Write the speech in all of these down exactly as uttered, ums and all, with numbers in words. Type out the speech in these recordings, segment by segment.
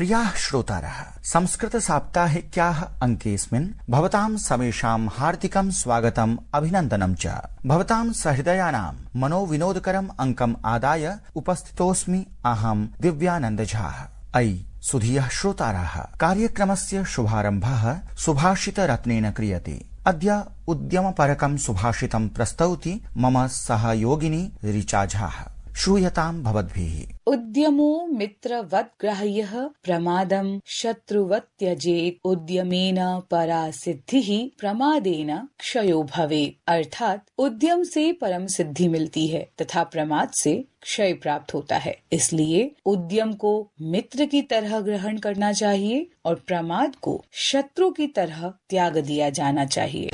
प्रियाः श्रोतारः, संस्कृत साप्ताहिक्याः अंकेऽस्मिन् भवतां समेषां हार्दिकं स्वागतम् अभिनन्दनं च। भवतां सहृदयानां मनोविनोदकरम् अंकम् आदाय उपस्थितोऽस्मि अहं दिव्यानन्द झा। अयि सुधीयः श्रोताराः, कार्यक्रमस्य शुभारम्भः सुभाषितरत्नेन क्रियते। अद्य उद्यमपरकं सुभाषितं प्रस्तौति मम सहयोगिनी ऋचा झा। श्रूयतां भवद्भिः। उद्यमो मित्रवत् ग्राह्यः प्रमादं शत्रुवत् त्यजेत्। उद्यमेन परा सिद्धिः प्रमादेन क्षयो भवेत्। अर्थात उद्यम से परम सिद्धि मिलती है तथा प्रमाद से क्षय प्राप्त होता है। इसलिए उद्यम को मित्र की तरह ग्रहण करना चाहिए और प्रमाद को शत्रु की तरह त्याग दिया जाना चाहिए।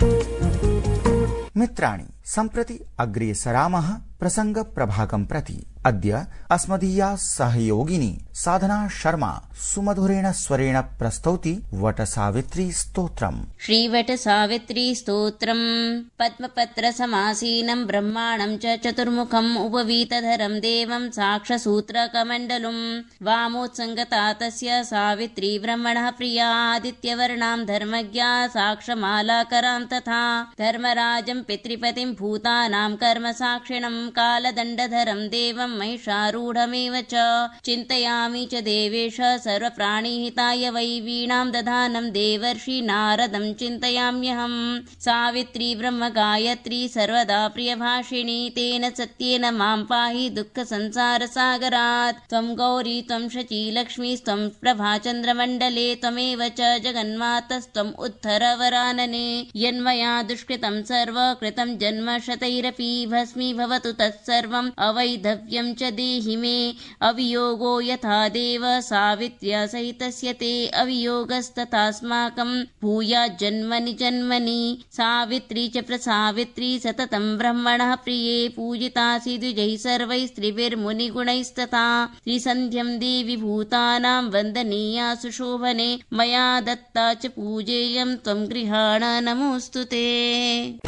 मित्राणि, सम्प्रति अग्रे सरामः प्रसंग प्रभागं प्रति। अद्य अस्मदीया सहयोगिनी साधना शर्मा सुमधुरेण स्वरेण प्रस्तौति वट सावित्री स्तोत्रम्। श्रीवट सावित्री स्तोत्रम्। पद्मपत्र समासीनं ब्रह्माणं च चतुर्मुखम् उपवीतधरं देवं साक्षसूत्र कमण्डलुम्। वामोत्सङ्गता तस्य सावित्री ब्रह्मणः प्रिया। आदित्यवर्णां धर्मज्ञा साक्षमालाकरां तथा धर्मराजं पितृपतिं भूतानां कर्म साक्षिणं कालदण्डधरं देवं महिषारूढमेव च। चिन्तयामि च देवेश सर्वप्राणिहिताय वै वीणां दधानं देवर्षि नारदं चिन्तयाम्यहम्। सावित्री ब्रह्म गायत्री सर्वदा प्रियभाषिणी। तेन सत्येन मां पाहि दुःखसंसारसागरात्। त्वं गौरी त्वं शची लक्ष्मीस्त्वं प्रभाचन्द्रमण्डले। त्वमेव च जगन्मातस्त्वम् उद्धरवरानने। यन्मया दुष्कृतं सर्वकृतं जन्म शतैरपि भस्मीभवतु तत्सर्वम् अवैधव्यं च देहि मे। अवियोगो यथा देव सावित्र्या सहितस्य ते अवियोगस्तथास्माकं भूयाज्जन्मनि जन्मनि। सावित्री च प्रसावित्री सततं ब्रह्मणः प्रिये। पूजितासि द्विजैः सर्वैः स्त्रिभिर्मुनिगुणैस्तथा। त्रिसन्ध्यं देवि भूतानां वन्दनीया सुशोभने। मया दत्ता च पूजेयं त्वं गृहाण नमोऽस्तु ते।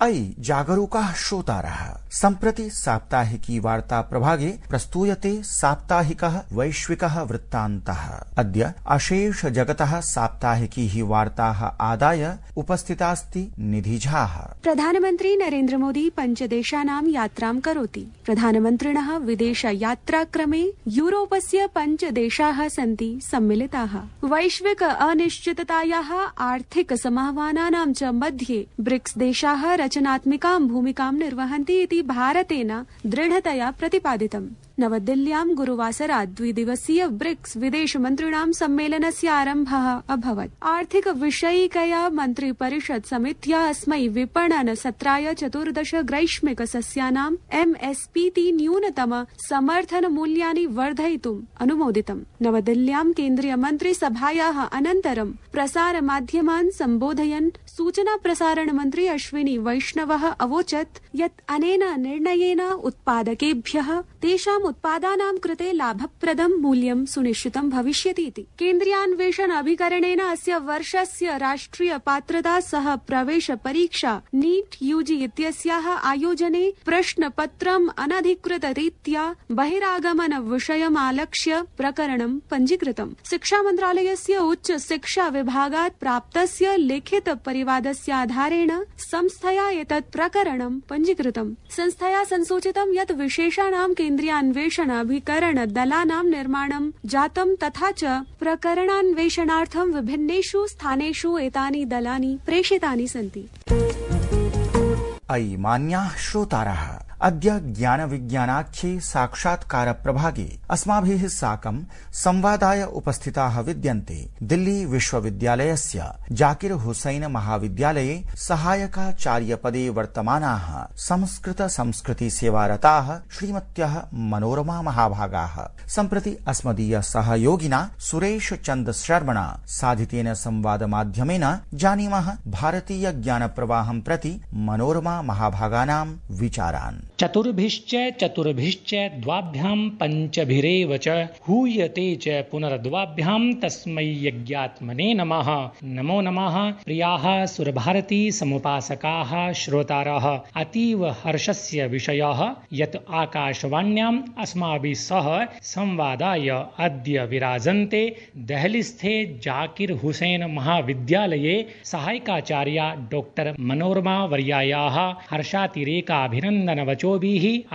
अयि जागरूकाः श्रोतारः, सम्प्रति साप्ताहिकी वार्ता प्रभागे प्रस्तूयते साप्ताहिकः वैश्विकः वृत्तान्तः। अद्य अशेष जगतः साप्ताहिकी ही वार्ताः आदाय उपस्थितास्ति निधि झा। प्रधानमन्त्री नरेन्द्र मोदी पञ्चदेशानां यात्रां करोति। प्रधानमन्त्रिणः विदेश यात्राक्रमे यूरोपस्य पञ्चदेशाः सन्ति सम्मिलिताः। वैश्विक अनिश्चिततायाः आर्थिक समाह्वानानां च मध्ये ब्रिक्स देशाः रचनात्मिकां भूमिकां निर्वहन्ति इति भारतेन दृढतया प्रतिपादितम्। नवदिल्ल्यां गुरुवासरात् द्विदिवसीय ब्रिक्स विदेश मन्त्रिणां सम्मेलनस्य आरम्भः अभवत्। आर्थिक विषयिकया मन्त्रिपरिषद समित्या अस्मै विपणन सत्राय चतुर्दश ग्रैष्मिक सस्यानां एमएसपीति न्यूनतम समर्थन मूल्यानि वर्धयितुम् अनुमोदितम्। नवदिल्ल्यां केन्द्रीय मन्त्री सभायाः अनन्तरं प्रसार माध्यमान् सम्बोधयन् सूचना प्रसारण मन्त्री अश्विनी वैष्णवः अवोचत् यत् अनेन निर्णयेन उत्पादकेभ्यः तेषाम् उत्पादानां कृते लाभप्रदं मूल्यं सुनिश्चितं भविष्यति इति। केन्द्रीयान्वेषण अभिकरणेन अस्य वर्षस्य राष्ट्रिय पात्रता सह प्रवेश परीक्षा नीट यूजी इत्यस्याः आयोजने प्रश्नपत्रम् अनधिकृत रीत्या बहिरागमन विषयमालक्ष्य प्रकरणं पञ्जीकृतम्। शिक्षा मन्त्रालयस्य उच्च शिक्षा विभागात् प्राप्तस्य लिखित परिवादस्य आधारेण संस्थया एतत् प्रकरणं पञ्जीकृतम्। संस्थया संसूचितं यत् विशेषाणां केन्द्रीयान्वेषण अभिकरण दलानां निर्माणं जातं तथा च प्रकरणान्वेषणार्थं विभिन्नेषु स्थानेषु एतानि दलानि प्रेषितानि सन्ति। अयि मान्याः श्रोतारः, अद्य ज्ञान विज्ञानाख्ये साक्षात्कार प्रभागे अस्माभिः साकं संवादाय उपस्थिताः विद्यन्ते दिल्ली विश्वविद्यालयस्य जाकिर हुसैन महाविद्यालये सहायकाचार्यपदे वर्तमानाः संस्कृत संस्कृति सेवारताः श्रीमत्यः मनोरमा महाभागाः। सम्प्रति अस्मदीय सहयोगिना सुरेश चन्द शर्मणा साधितेन संवाद माध्यमेन जानीमः भारतीय ज्ञान प्रवाहं प्रति मनोरमा महाभागानां विचारान्। चतुर्भिश्च चतुर्भिश्च द्वाभ्यां पञ्चभिरेव च हूयते च पुनर्द्वाभ्यां तस्मै यज्ञात्मने नमः। नमो नमः। प्रियाः सुरभारती समुपासकाः श्रोतारः, अतीव हर्षस्य विषयः यत् आकाशवाण्याम् अस्माभिः सह संवादाय अद्य विराजन्ते देहलीस्थे जाकिर हुसैन महाविद्यालये सहायकाचार्या डॉक्टर मनोरमा वर्यायाः हर्षातिरेकाभिनन्दनवचोभिः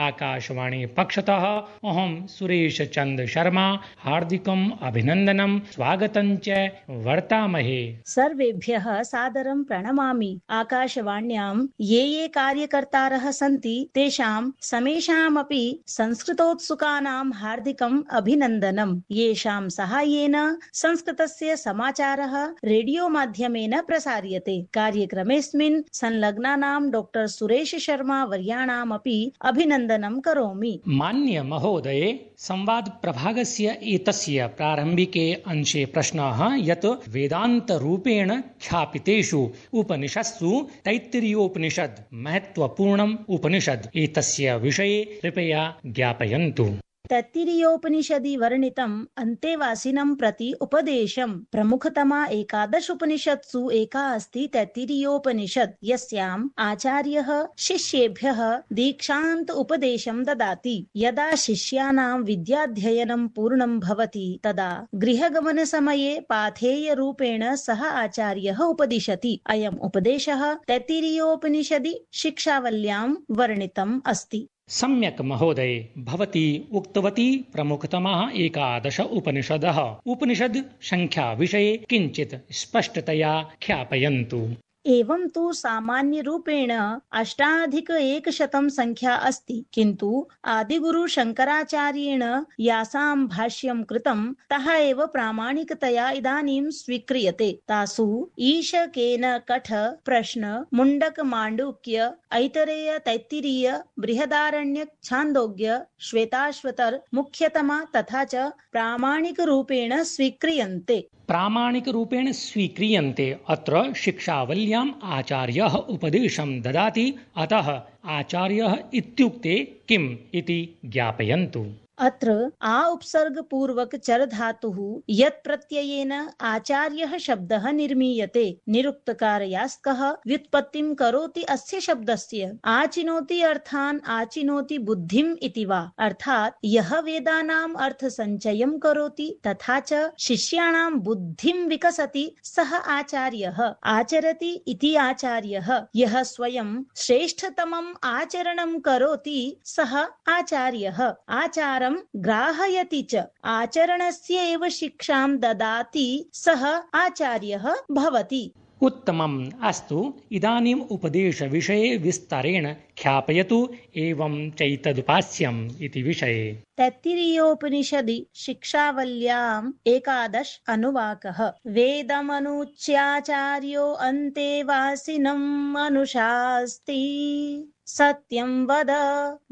आकाशवाणी पक्षतः अहं सुरेश चंद्र शर्मा हार्दिकम् अभिनन्दनं स्वागतं च वर्तामहे। सर्वेभ्यः सादरं प्रणमामि। आकाशवाण्यां ये ये कार्यकर्तारः सन्ति तेषां समेषामपि संस्कृतोत्सुकानां हार्दिकम् अभिनन्दनम्। येषां साहाय्येन संस्कृतस्य समाचारः रेडियो माध्यमेन प्रसार्यते। कार्यक्रमेऽस्मिन् संलग्नानां डॉक्टर सुरेश शर्मा वर्याणामपि अभिनन्दनं करोमि। मान्य महोदये, संवाद प्रभागस्य एतस्य प्रारम्भिके अंशे प्रश्नः यत् वेदान्त रूपेण ख्यापितेषु उपनिषत्सु तैत्तिरीयोपनिषद् महत्वपूर्णम् उपनिषद् एतस्य विषये कृपया ज्ञापयन्तु। तैत्तिरीयोपनिषदि वर्णितम् अन्तेवासिनं प्रति उपदेशम्। प्रमुखतमा एकादश उपनिषत्सु एका अस्ति तैत्तिरीयोपनिषद्, यस्याम् आचार्यः शिष्येभ्यः दीक्षान्त उपदेशं ददाति। यदा शिष्याणां विद्याध्ययनं पूर्णं भवति तदा गृहगमनसमये पाथेयरूपेण सः आचार्यः उपदिशति। अयम् उपदेशः तैत्तिरीयोपनिषदि शिक्षावल्यां वर्णितम् अस्ति। सम्यक् महोदये, भवती उक्तवती प्रमुखतमः एकादश उपनिषदः। उपनिषद् संख्या विषये किञ्चित् स्पष्टतया ख्यापयन्तु। एवं तु सामान्य रूपेण अष्टाधिक एकशतं संख्या अस्ति, किन्तु आदिगुरु शंकराचार्येण यासां भाष्यं कृतं तः एव प्रामाणिकतया इदानीं स्वीक्रियते। तासु ईश, केन, कठ, प्रश्न, मुण्डक, माण्डूक्य, ऐतरेय, तैत्तिरीय, बृहदारण्यक, छान्दोग्य, श्वेताश्वतर मुख्यतमा तथा च प्रामाणिक रूपेण स्वीक्रियन्ते। प्रामाणिक रूपेण स्वीक्रियन्ते। अत्र शिक्षावल्याम् आचार्यः उपदेशं ददाति, अतः आचार्यः इत्युक्ते किम् इति ज्ञापयन्तु। अत्र आ उपसर्ग पूर्वक चर धातुः यत् प्रत्ययेन आचार्यः शब्दः निर्मीयते। निरुक्तकारयास्कः व्युत्पत्तिं करोति अस्य शब्दस्य। आचिनोति अर्थान् आचिनोति बुद्धिम् इति वा, अर्थात् यः वेदानाम् अर्थ संचयं करोति तथा च शिष्याणां बुद्धिं विकसति सः आचार्यः। आचरति इति आचार्यः। यः स्वयं श्रेष्ठतमम् आचरणं करोति सः आचार्यः। आचार ग्राहयति च आचरणस्य एव शिक्षां ददाति सः आचार्यः भवति। उत्तमम्। अस्तु, इदानीम् उपदेशविषये विस्तारेण ख्यापयतु। एवं चैतदुपास्यम् इति विषये। तैत्तिरीयोपनिषदि शिक्षावल्याम् एकादश अनुवाकः। वेदमनुच्याचार्यो अन्तेवासिनम् अनुशास्ति। सत्यं वद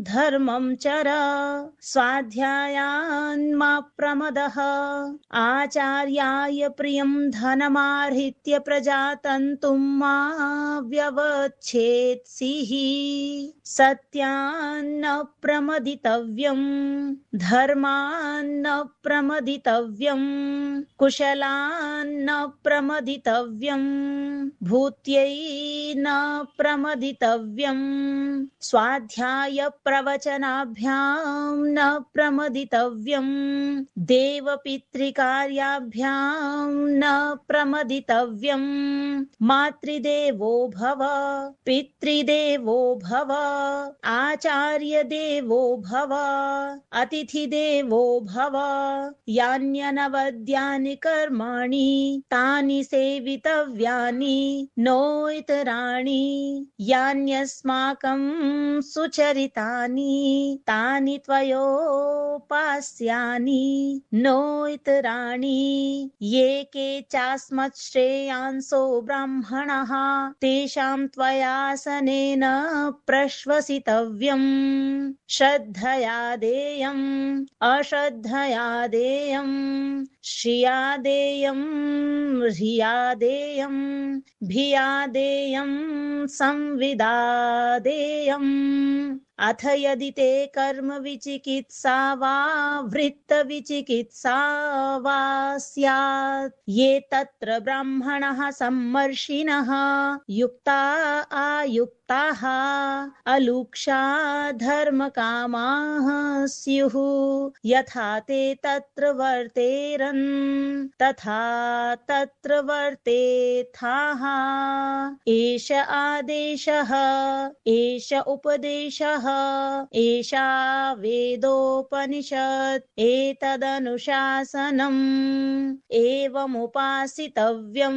धर्मं चर स्वाध्यायान् मा प्रमदः। आचार्याय प्रियं धनमाहृत्य प्रजातन्तुं मा व्यवच्छेत्सिः। सत्यान्न प्रमदितव्यं धर्मान्न प्रमदितव्यं कुशलान्न प्रमदितव्यं भूत्यै न प्रमदितव्यं स्वाध्याय प्रवचनाभ्यां न प्रमदितव्यं देवपितृकार्याभ्यां न प्रमदितव्यं मातृदेवो भव पितृदेवो भव आचार्य देवो भव अतिथिदेवो भव। यान्यनवद्यानि कर्माणि तानि सेवितव्यानि नो इतराणि। यान्यस्माकं सुचरितानि तानि त्वयोपास्यानि नो इतराणि। ये के चास्मत् श्रेयांसो ब्राह्मणः तेषां त्वयासनेन प्रश्वसितव्यम्। श्रद्धया देयम् अश्रद्धया देयम् श्रिया देयम् ह्रिया देयम् भिया देयम् संविदा देयम्। अथ यदि ते कर्म विचिकित्सा वा वृत्त विचिकित्सा वा स्यात् ये तत्र ब्राह्मणः सम्मर्षिणः युक्ता आयुक्ताः अलुक्षा धर्मकामाः स्युः यथा ते तत्र वर्तेरन् तथा तत्र वर्तेथाः एष आदेशः एष उपदेशः एषा वेदोपनिषत् एतदनुशासनम् एवमुपासितव्यम्।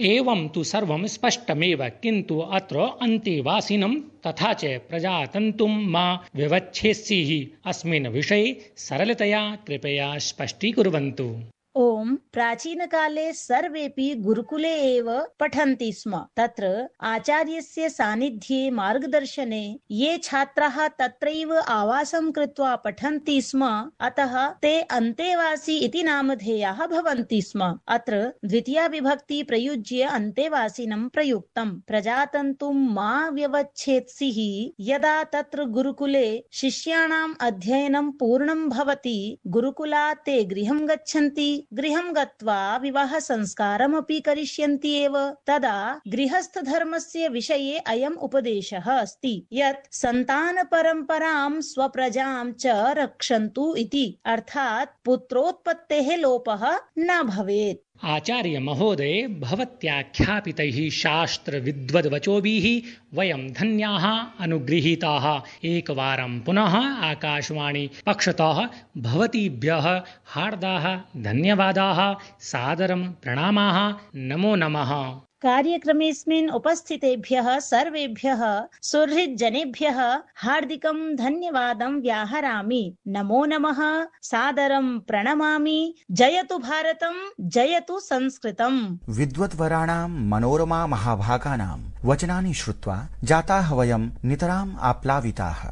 एवं तु सर्वं स्पष्टमेव, किन्तु अत्र अन्तेवासिनं तथा च प्रजातन्तुं मा विवच्छेत्सिः अस्मिन् विषये सरलतया कृपया स्पष्टीकुर्वन्तु। ओम प्राचीनकाले सर्वेपि गुरुकुले एव पठन्ति स्म। तत्र आचार्यस्य सान्निध्ये मार्गदर्शने ये छात्राः तत्रैव आवासं कृत्वा पठन्ति स्म, अतः ते अन्तेवासी इति नामधेयाः भवन्ति स्म। अत्र द्वितीया विभक्ति प्रयुज्य अन्तेवासिनं प्रयुक्तम्। प्रजातन्तुं मा व्यवच्छेत्सिः, यदा तत्र गुरुकुले शिष्याणाम् अध्ययनं पूर्णं भवति, गुरुकुलात् ते गृहं गच्छन्ति, गृहं गत्वा विवाह संस्कारमपि करिष्यन्ति एव, तदा गृहस्थ धर्मस्य विषये अयम् उपदेशः अस्ति यत् सन्तान परम्परां स्वप्रजां च रक्षन्तु इति, अर्थात् पुत्रोत्पत्तेः लोपः न भवेत्। आचार्य महोदय, भवत्याख्यापितैः शास्त्र विद्वद्वचोभिः वयं धन्याः अनुगृहीताः। एकवारं पुनः आकाशवाणी पक्षतः भवतीभ्यः हार्दाः धन्यवादाः, सादरं प्रणामाः, नमो नमः। कार्यक्रमेऽस्मिन् उपस्थितेभ्यः सर्वेभ्यः सुहृद्जनेभ्यः हार्दिकं धन्यवादं व्याहरामि। नमो नमः, सादरं प्रणमामि। जयतु भारतं, जयतु संस्कृतम्। विद्वद्वराणां मनोरमा महाभागानां वचनानि श्रुत्वा जाताः वयं नितराम् आप्लाविताः।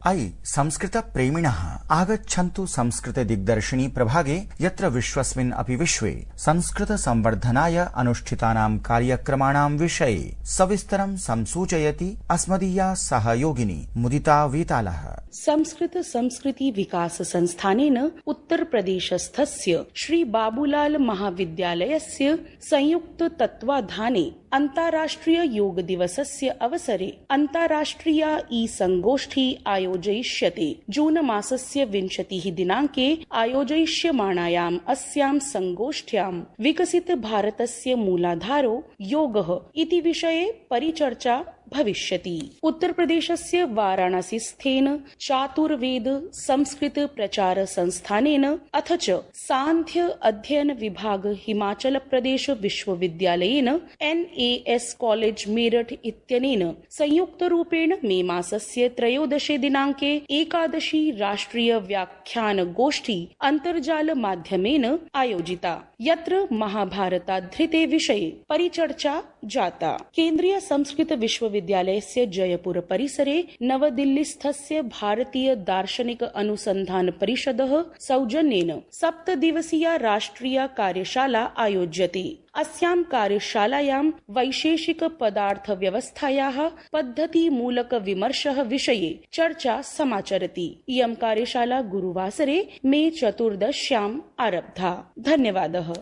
अयि संस्कृत प्रेमिणः, आगच्छन्तु संस्कृत दिग्दर्शिनी प्रभागे, यत्र विश्वस्मिन् अपि विश्वे संस्कृत संवर्धनाय अनुष्ठितानां कार्यक्रमाणां विषये सविस्तरं संसूचयति अस्मदीया सहयोगिनी मुदिता वेतालः। संस्कृत संस्कृति विकास संस्थानेन उत्तर प्रदेशस्थस्य श्री बाबूलाल महाविद्यालयस्य संयुक्त तत्वाधाने अन्ताराष्ट्रिय योग दिवसस्य अवसरे अन्ताराष्ट्रिया ई संगोष्ठी आयोजयिष्यते। जून मासस्य विंशतिः दिनाङ्के आयोजयिष्यमाणायाम् अस्यां संगोष्ठ्यां विकसित भारतस्य मूलाधारो योगः इति विषये परिचर्चा भविष्यति। उत्तर प्रदेशस्य वाराणसी स्थेन चातुर्वेद संस्कृत प्रचार संस्थानेन अथ च सांख्य अध्ययन विभाग हिमाचल प्रदेश विश्वविद्यालयेन N A S college Meerut इत्यनेन संयुक्त रूपेण मे मासस्य त्रयोदशे दिनाङ्के एकादशी राष्ट्रिय व्याख्यान गोष्ठी अन्तर्जाल माध्यमेन आयोजिता, यत्र महाभारताधृते विषये परिचर्चा जाता। केन्द्रीय संस्कृत विश्वविद्यालयस्य जयपुर परिसरे नवदिल्लीस्थस्य भारतीय दार्शनिक अनुसंधान परिषदः सौजन्येन सप्तदिवसीया राष्ट्रिया कार्यशाला आयोज्यते। अस्यां कार्यशालायां वैशेषिक पदार्थ व्यवस्थायाः पद्धति मूलक विमर्शः विषये चर्चा समाचरति। इयं कार्यशाला गुरुवासरे मे चतुर्दश्याम् आरब्धा। धन्यवादः।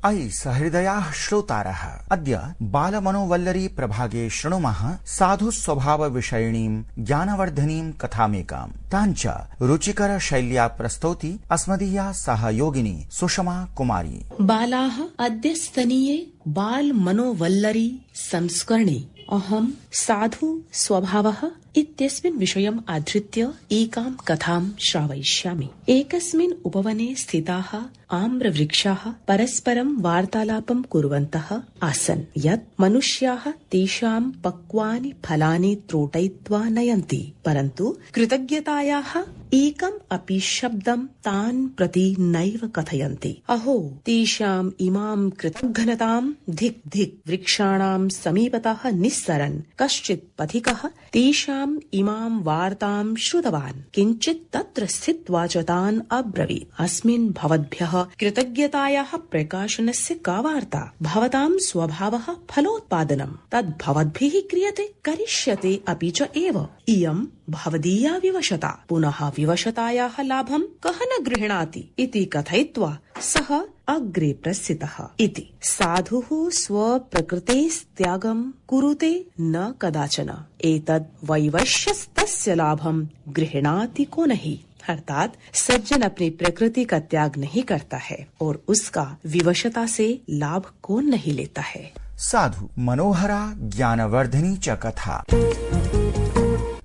अयि सहृदयाः श्रोतारः, अद्य बालमनोवल्लरी प्रभागे शृणुमः साधु स्वभाव विषयिणीं ज्ञानवर्धनीं कथामेकाम्। ताञ्च रुचिकर शैल्या प्रस्तौति अस्मदीया सहयोगिनी सुषमा कुमारी। बालाः अद्यस्तनीये बाल मनोवल्लरी संस्करणे अहं साधु स्वभावः इत्यस्मिन् विषयम् आधृत्य एकां कथां श्रावयिष्यामि। एकस्मिन् उपवने स्थिताः आम्रवृक्षाः परस्परं वार्तालापं कुर्वन्तः आसन् यत् मनुष्याः तेषां पक्वानि फलानि त्रोटयित्वा नयन्ति, परन्तु कृतज्ञतायाः एकम् अपि शब्दं तान् प्रति नैव कथयन्ति। अहो तेषाम् इमां कृतघ्नतां धिक् धिक् वृक्षाणां समीपतः निस्सरन् कश्चित् पथिकः तेषाम् इमां वार्तां श्रुतवान्। किञ्चित् तत्र स्थित्वा च तान् अब्रवीत्, अस्मिन् भवद्भ्यः कृतज्ञतायाः प्रकाशनस्य का वार्ता? भवतां स्वभावः फलोत्पादनम्, तद् भवद्भिः क्रियते, करिष्यते अपि च एव। इयं भवदीया विवशता, पुनः विवशतायाः लाभं कः न गृह्णाति इति कथयित्वा सः अग्रे प्रस्थितः इति। साधुः स्वप्रकृतेस्त्यागं कुरुते न कदाचन, एतद् वैवश्यस्तस्य लाभं गृह्णाति को नहीं। अर्थात सज्जन अपनी प्रकृति का त्याग नहीं करता है और उसका विवशता से लाभ कौन नहीं लेता है। साधु मनोहरा ज्ञानवर्धिनी च कथा।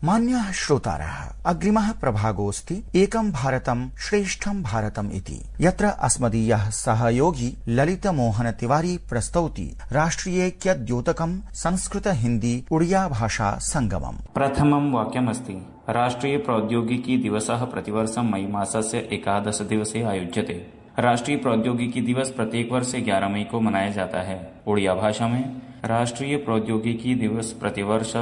मान्याः श्रोतारः, अग्रिमः प्रभागोऽस्ति एकं भारतं श्रेष्ठं भारतम् इति, यत्र अस्मदीयः सहयोगी ललितमोहन तिवारी प्रस्तौति राष्ट्रियैक्यद्योतकं संस्कृत हिंदी उड़िया भाषा संगमम्। प्रथमं वाक्यमस्ति राष्ट्रीय प्रौद्योगिकी दिवसः प्रतिवर्षं मई मासस्य एकादश दिवसे आयोज्यते। राष्ट्रीय प्रौद्योगिकी दिवस प्रत्येक वर्ष ग्यारह मई को मनाया जाता है। उड़िया भाषा में राष्ट्रीय प्रौद्योगिकी दिवस प्रतिवर्ष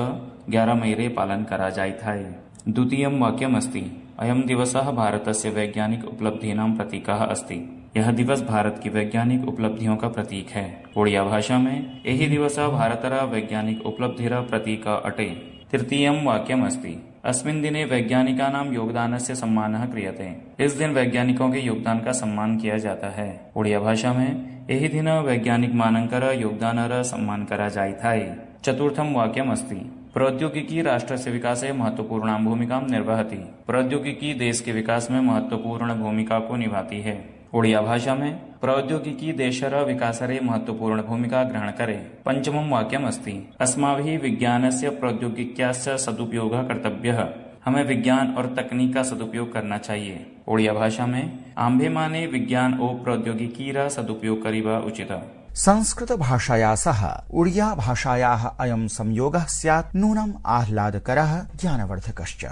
ग्यारह मई रे पालन करा जायथाय। द्वितीयं वाक्यमस्ति अयं दिवसः भारतस्य वैज्ञानिक उपलब्धीनां प्रतीकः अस्ति। यह दिवस भारत की वैज्ञानिक उपलब्धियों का प्रतीक है। उड़िया भाषा में एहि दिवसः भारतरा वैज्ञानिक उपलब्धिरा प्रतीक अटे। तृतीयं वाक्यमस्ति अस्मिन् दिने वैज्ञानिकानां योगदानस्य सम्मानः क्रियते। इस दिन वैज्ञानिकों के योगदान का सम्मान किया जाता है। उड़िया भाषा में एहि दिन वैज्ञानिक मानंकर योगदानर सम्मान करा जायथाय। चतुर्थं वाक्यमस्ति प्रौद्योगिकी राष्ट्रस्य विकासे महत्वपूर्णां भूमिकां निर्वहति। प्रौद्योगिकी देश के विकास में महत्वपूर्ण भूमिका को निभाती है। उड़िया भाषा में प्रौद्योगिकी देशर विकासरे महत्वपूर्ण भूमिका ग्रहण करे। पंचमं वाक्यमस्ति अस्माभिः विज्ञानस्य प्रौद्योगिक्यास्य सदुपयोगः कर्तव्यः। हमें विज्ञान और तकनीक का सदुपयोग करना चाहिए। उड़िया भाषा में आम्भे माने विज्ञान और प्रौद्योगिकीरा सदुपयोग करिबा उचित। संस्कृत भाषाया सह उड़िया भाषायाः अयं संयोगः स्यात् नूनम् आह्लादकरः ज्ञानवर्धकश्च।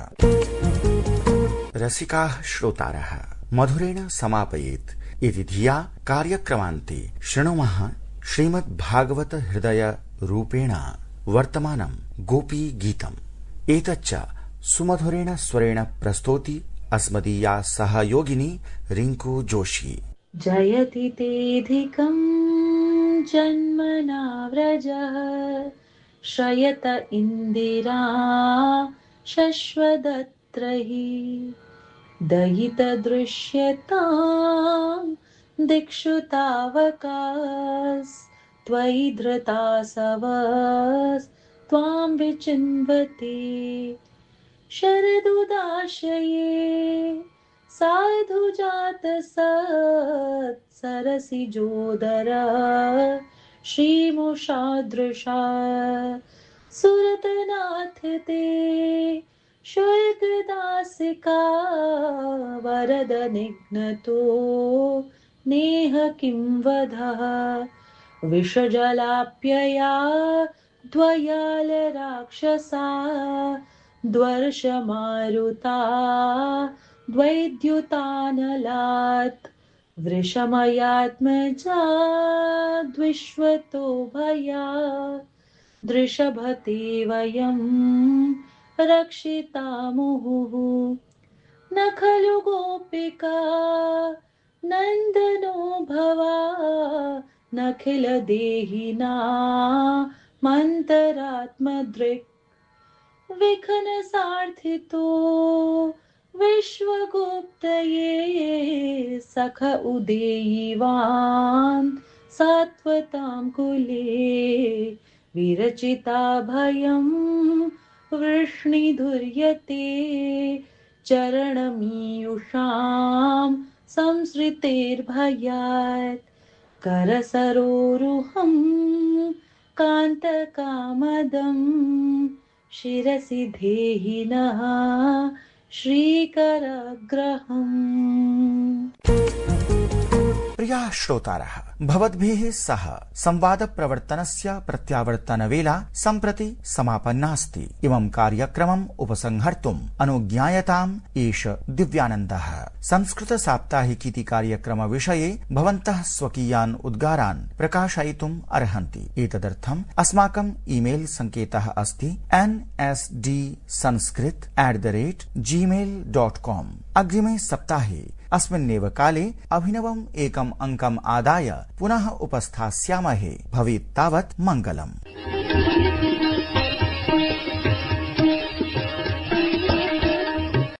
रसिकाः श्रोतारः, मधुरेण समापयेत् इति धिया कार्यक्रमान्ते शृणुमः श्रीमद्भागवत हृदय रूपेण वर्तमानं गोपी गीतम्। एतच्च सुमधुरेण स्वरेण प्रस्तौति अस्मदीया सहयोगिनी रिंकू जोशी। जयति तेऽधिकं जन्मना व्रजः श्रयत इन्दिरा शश्वदत्रहि दयित दृश्यतां दिक्षु तावकास् त्वयि धृतासवस् त्वां विचिन्वते शरदुदाशये साधु जात सत् सरसि जोदर श्रीमुषादृशा सुरतनाथ ते शुल्कदासिका वरद निघ्नतो नेह किं वधः विषजलाप्यया द्वयाल राक्षसा द्वर्षमारुता द्वैद्युतानलात् वृषमयात्मजा द्विश्वतो भया दृषभते वयं रक्षितामुहुः न खलु गोपिका नन्दनो भवा नखिल देहिना मन्तरात्मदृक् विखन सार्थितो विश्वगुप्तये सख उदेयिवान् सात्वतां कुले विरचिता भयं वृष्णिधुर्यते चरणमीयुषां संसृतेर्भयात् करसरोरुहं कान्तकामदं शिरसि धेहिनः श्रीकरग्रहम्। प्रियाः श्रोतारः, भवद्भिः सह संवाद प्रवर्तनस्य प्रत्यावर्तनवेला सम्प्रति समापन्नास्ति। इमं कार्यक्रमम् उपसंहर्तुम् अनुज्ञायताम् एष दिव्यानन्दः। संस्कृत साप्ताहिकीति कार्यक्रम विषये भवन्तः स्वकीयान् उद्गारान् प्रकाशयितुम् अर्हन्ति। एतदर्थम् अस्माकम् ईमेल सङ्केतः अस्ति N S D Sanskrit at the rate Gmail dot com. अग्रिमे सप्ताहे अस्मिन्नेव काले अभिनवम् एकम् अङ्कम् आदाय पुनः उपस्थास्यामहे। भवेत् तावत् मङ्गलम्।